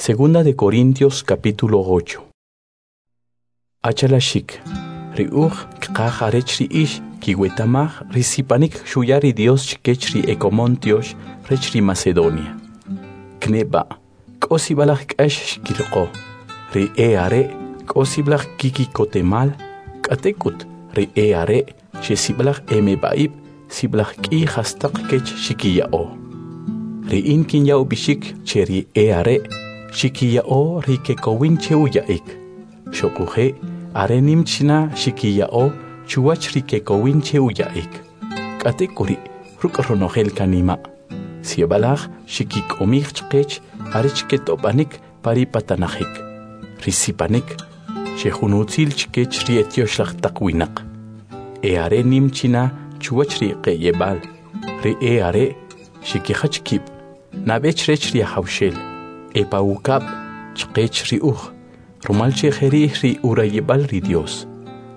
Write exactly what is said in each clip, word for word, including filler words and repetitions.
Segunda de Corintios capítulo ocho. Achalaxik, ri uj kqaj arech ri ix kiwetamaj ri sipanik xuya ri Dios chkech ri ekomon tyox rech ri Macedonia. Kneba', k'o sib'alaj k'ax xkiriqo, ri e are' k'o sib'alaj kikikotemal, k'atek'ut ri e are' che sib'alaj emeb'a'ib' sib'alaj k'i jastaq kech xikiya'o. Ri in kinya ub'ixik che ri e are' xikiya'o ri kekowin che uya'ik. Xuquje' are nim china xikiya'o chuwach ri kekowin che uya'ik. K'atek'uri' ruk' ronojel kanima'. Sib'alaj xikik'omij chqech arech ketob'anik pa ri patanajik, ri sipanik, che jun utzil chkech ri etyoxlaj taq winaq. E are nim china chuwach ri qe'yeb'al, ri e are' xikijach kib', nab'e chrech ri Ajawxel, e pa ukab' chqech ri uj, rumal che jeri' ri urayib'al ri Dios.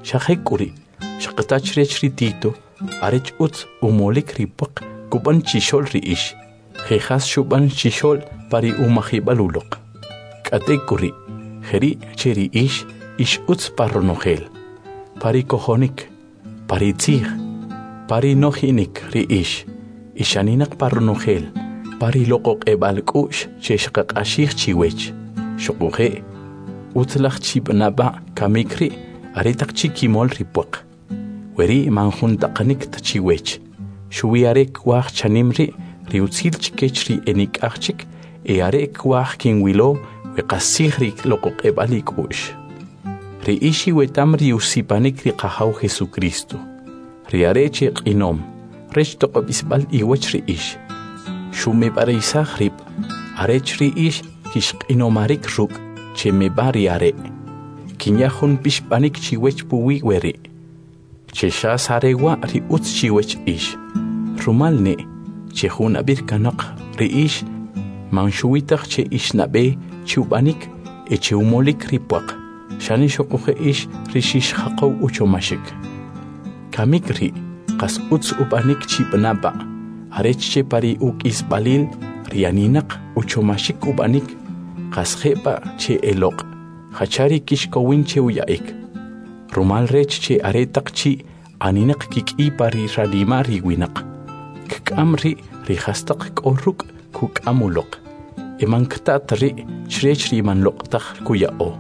Xa jek'uri' xqata chrech ri Tito arech utz umolik ri pwaq kub'an chixo'l ri ix, je jas xub'an chixo'l pa ri umajib'al uloq. K'atek'uri' jeri' che ri ix ix utz pa ronojel, pa ri kojonik, pa ri tzij, pa ri nojinik ri ix, ixaninaq pa ronojel, pa ri loq'oq'eb'al k'u'x che xqaq'axij chiwech. Xuquje' utzlaj chib'anaba' kamik ri' aretaq chi kimol ri pwaq. Weri' man jun taqanik ta chiwech. Xuwi are kwaj chanim ri' ri utzil chkech ri enik'aj chik e are kwaj kinwilo we qastzij ri loq'oq'eb'al ik'u'x. Ri ix iwetam ri usipanik ri Qajaw Jesucristo. Ri are' che q'inom, rech toq'ob'isb'al iwach ri ix. Xumeb'arisaj rib', arech ri ix kixq'inomarik ruk' che meb'a ri are'. Kinya jun pixb'anik chiwech puwi weri'. Che xas are wa' ri utz chiwech ix. Rumal ne' che jun ab'ir kanoq ri ix man xuwitaj che ix nab'e che ub'anik e che umolik ri pwaq, xane xuquje' ix ri xixjaqow uchomaxik. Kamik ri' qas utz ub'anik chib'anaba', arech che pa ri uk'isb'alil ri aninaq uchomaxik ub'anik, qas je'b'a che eloq', jacha ri kixkowin che uya'ik. Rumal rech che aretaq chi aninaq kik'i pa ri ranima' ri winaq, kk'am ri' ri jastaq k'o ruk' kuk'am uloq, e man kta' ta ri' chrech ri man loq' taj kuya'o.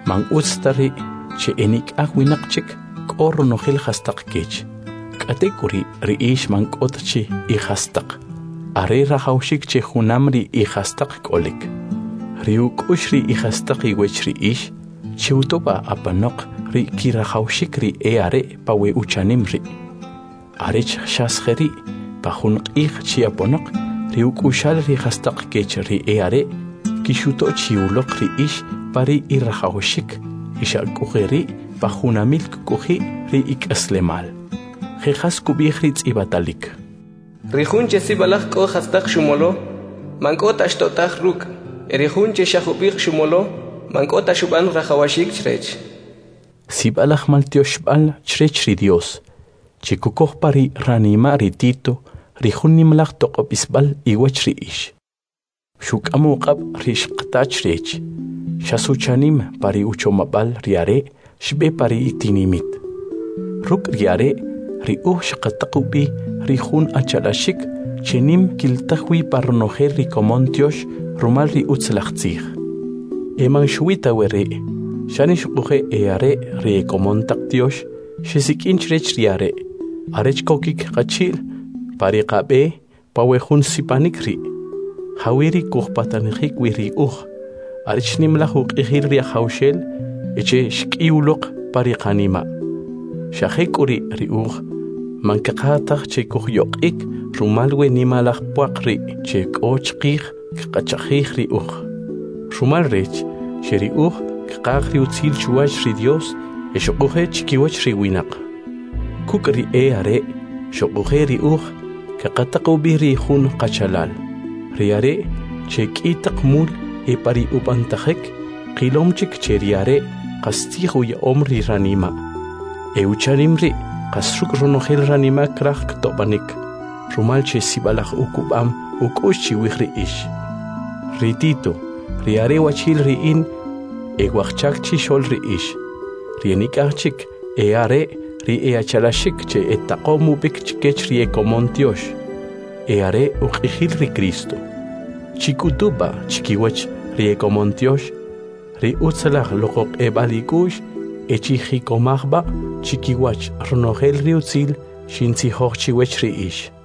Man utz ta ri' che enik'aj winaq chik k'o ronojel jastaq kech. K'atek'uri' ri ix man k'o ta chi ijastaq, are rajawxik che junam ri ijastaq k'olik. Ri uk'ux ri ijastaq iwech ri ix, cheutoba apanoq ri kirajawxik ri e are' pa we uchanim ri'. Arech xas jeri' pa jun q'ij chi aponoq ri uk'uxal ri jastaq kech ri e are' kixuto' chi uloq ri ix pa ri irajawxik, ixak'ujeri' pa junamil kk'uji' ri ik'aslemal. Je jas kub'ij ri tz'ib'atalik. Ri jun che sib'alaj k'o jastaq xumolo, man k'o ta xto'taj ruk', e ri jun che xa jub'iq xumolo, man k'o ta xub'an rajawaxik chrech. Sib'alaj maltyoxb'al chrech ri Dios, che kukoj pa ri ranima' ri Tito ri jun nimalaj toq'ob'isb'al iwach ri ix. Xuk'am uq'ab' ri xqata chrech, xas uchanim pa ri uchomab'al ri are' xb'e pa ri itinimit. Ruk' ri are' ri uj xqataq ub'i ri jun achalaxik che nim kiltaj wi pa ronojel ri komon tyox rumal ri utzlaj tzij. E man xuwi ta weri', xane xuquje' e are' ri ekomon taq tyox xesik'in chrech ri are', arech kokik qachi'l pa ri qab'e pa we jun sipanik ri'. Jawi ri kujpatanijik wi ri uj, arech nimlaj uq'ijil ri Ajawxel e che xk'i uloq pa ri qanima'. Xa jek'uri' ri uj, man kaqaj che kujyoq'ik rumal we nimalaj pwaq ri' che k'o chqij kqachajij ri uj. Rumal rech che ri uj kqaj ri utzil chuwach ri Dios e xuquje' chikiwach ri winaq. Kuk' ri e are' xuquje' ri uj kaqataq ub'i ri jun qachalal. Ri are' che k'i taq mul e pa ri ub'antajik qilom chik che ri are' qastzij uya'om ri ranima'. E uchanim ri' qas ruk' ronojel ranima' kraj ktob'anik, rumal che sib'alaj ukub'am uk'u'x chiwij ri ix. Ri Tito, Ri are' wachi'l ri in e wajchak chixo'l ri ix. Ri enik'aj chik e are' ri e'achalaxik che etaqom ub'ik chkech ri ekomon tyox, e are uq'ijil ri Kristo. Chik'utu b'a' chkiwach ri ekomon tyox ri utzalaj loq'oq'eb'al ik'u'x e chijikomaj b'a' chikiwach ronojel ri utzil xintzijoj chiwech ri ix.